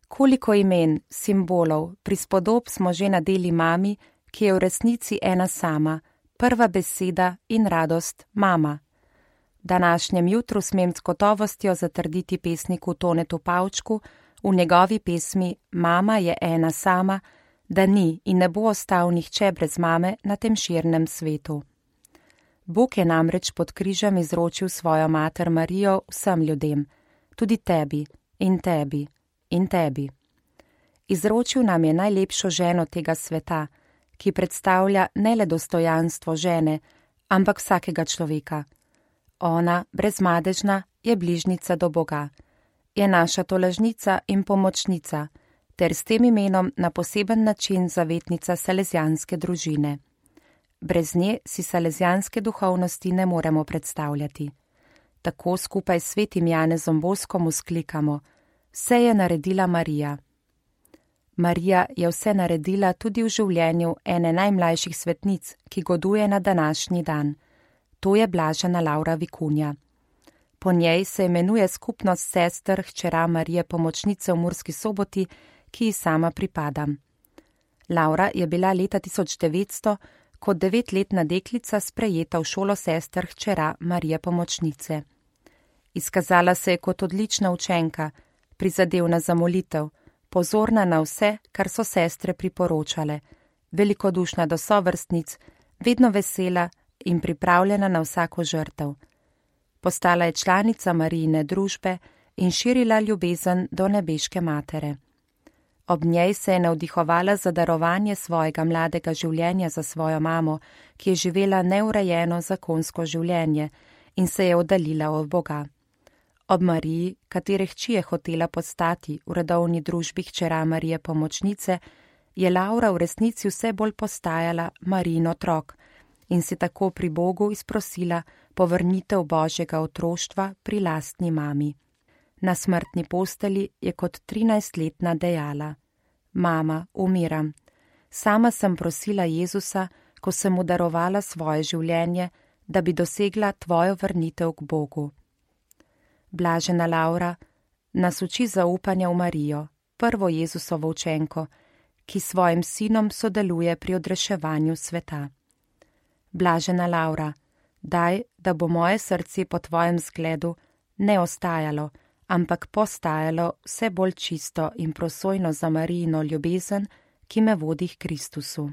Koliko imen, simbolov, prispodob smo že nadeli mami, ki je v resnici ena sama, prva beseda in radost mama. Današnjem jutru smem s gotovostjo zatrditi pesniku Tonetu Pavčku v njegovi pesmi Mama je ena sama, da ni in ne bo ostal nihče brez mame na tem širnem svetu. Bog je namreč pod križem izročil svojo mater Marijo vsem ljudem, tudi tebi in tebi in tebi. Izročil nam je najlepšo ženo tega sveta, ki predstavlja ne le dostojanstvo žene, ampak vsakega človeka. Ona, brezmadežna, je bližnica do Boga, je naša tolažnica in pomočnica, ter s tem imenom na poseben način zavetnica salezijanske družine. Brez nje si salezijanske duhovnosti ne moremo predstavljati. Tako skupaj s svetim Janezom Boskom vzklikamo: vse je naredila Marija. Marija je vse naredila tudi v življenju ene najmlajših svetnic, ki goduje na današnji dan. To je blažena Laura Vikunja. Po njej se imenuje skupnost sester hčera Marije Pomočnice v Murski Soboti, ki ji sama pripadam. Laura je bila leta 1900 kot 9-letna deklica sprejeta v šolo sester hčera Marije Pomočnice. Izkazala se je kot odlična učenka, prizadevna za molitev, pozorna na vse, kar so sestre priporočale, velikodušna do sovrstnic, vedno vesela in pripravljena na vsako žrtev. Postala je članica Marijine družbe in širila ljubezen do nebeške matere. Ob njej se je navdihovala za darovanje svojega mladega življenja za svojo mamo, ki je živela neurejeno zakonsko življenje in se je oddaljila od Boga. Ob Mariji, katere hči je hotela postati v redovni družbi hčera Marije Pomočnice, je Laura v resnici vse bolj postajala Marijin otrok in si tako pri Bogu izprosila povrnitev Božjega otroštva pri lastni mami. Na smrtni posteli je kot 13-letna dejala: Mama, umiram. Sama sem prosila Jezusa, ko sem mu darovala svoje življenje, da bi dosegla tvojo vrnitev k Bogu. Blažena Laura nas uči zaupanja v Marijo, prvo Jezusovo učenko, ki s svojim sinom sodeluje pri odreševanju sveta. Blažena Laura, daj, da bo moje srce po tvojem zgledu ne ostajalo, ampak postajalo vse bolj čisto in prosojno za Marijino ljubezen, ki me vodi k Kristusu.